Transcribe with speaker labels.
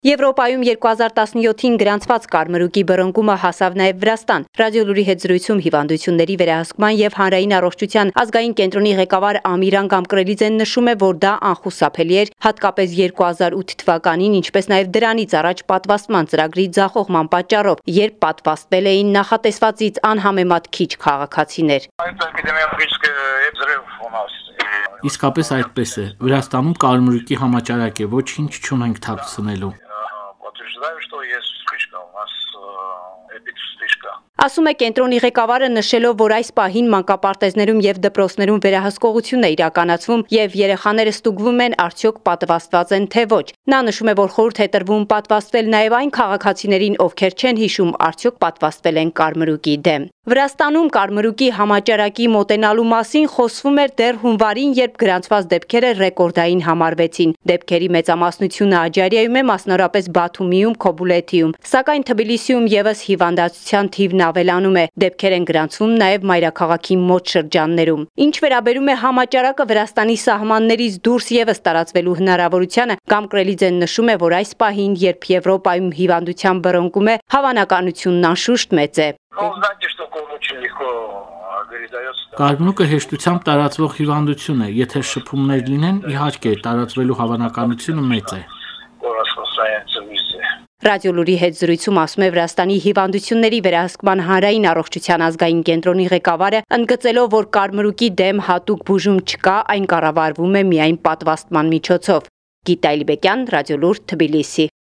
Speaker 1: Եվրոպայում 2017-ին գրանցված կարմրուկի բռնկումը հասավ նաև Վրաստան։ Ռադիոլուրի հետ զրույցում հիվանդությունների վերահսկման և հանրային առողջության ազգային կենտրոնի ղեկավար Ամիրան Գամկրելիձեն նշում է, որ դա անխուսափելի էր, հատկապես 2008 թվականին, ինչպես նաև դրանից առաջ պատվաստման ծրագրի ձախողման պատճառով, երբ պատվաստվել էին նախատեսվածից անհամեմատ քիչ քաղաքացիներ։
Speaker 2: Իսկապես այդպես է։ Վրաստանում կարմրուկի համաճարակ է, ոչինչ չունենք թաքցնելու։
Speaker 1: Ասում է կենտրոնի ղեկավարը, նշելով, որ այս պահին մանկապարտեզներում և դպրոցներում վերահսկողություն է իրականացվում և երեխաները ստուգվում են արդյոք պատվաստված են թե ոչ։ Նա նշում է, որ խորհուրդ է տրվում պատվաստվել նաև այն քաղաքացիներին, ովքեր չեն հիշում արդյոք պատվաստվել են կարմրուկի դեմ։ Վրաստանում կարմրուկի համաճարակի մոտենալու մասին խոսվում էր դեռ հունվարին, երբ գրանցված դեպքերը ռեկորդային համարվեցին։ Դեպքերի մեծամասնությունը Աջարիայում է, մասնավորապես Բաթումիում, Քոբուլեթիում, սակայն Թբիլիսիում ևս հիվանդացության թիվն ավելանում է։ Դեպքեր են գրանցվում նաև մայրաքաղաքի մոտ շրջաններում։ Ինչ վերաբերում է համաճարակը Վրաստանի սահմաններից դուրս ևս տարածվելու հնարավորությանը, Գամկրելիձեն նշում է, որ այս պահին, երբ Եվրոպայում հիվանդության բռնկում է, հավանականությունն անշուշտ մեծ է։
Speaker 2: Կարմրուկը հեշտությամբ տարածվող հիվանդություն է, եթե շփումներ լինեն, իհարկե, տարածվելու հավանականությունը մեծ է։
Speaker 1: Ռադիոլուրի հետ զրույցում ասում է Վրաստանի հիվանդությունների վերահսկման հանրային առողջության ազգային կենտրոնի ղեկավարը, ընդգծելով, որ կարմրուկի դեմ հատուկ բուժում չկա, այն կառավարվում է միայն պատվաստման միջոցով։ Գիտա Իլբեկյան, Ռադիոլուր, Թբիլիսի։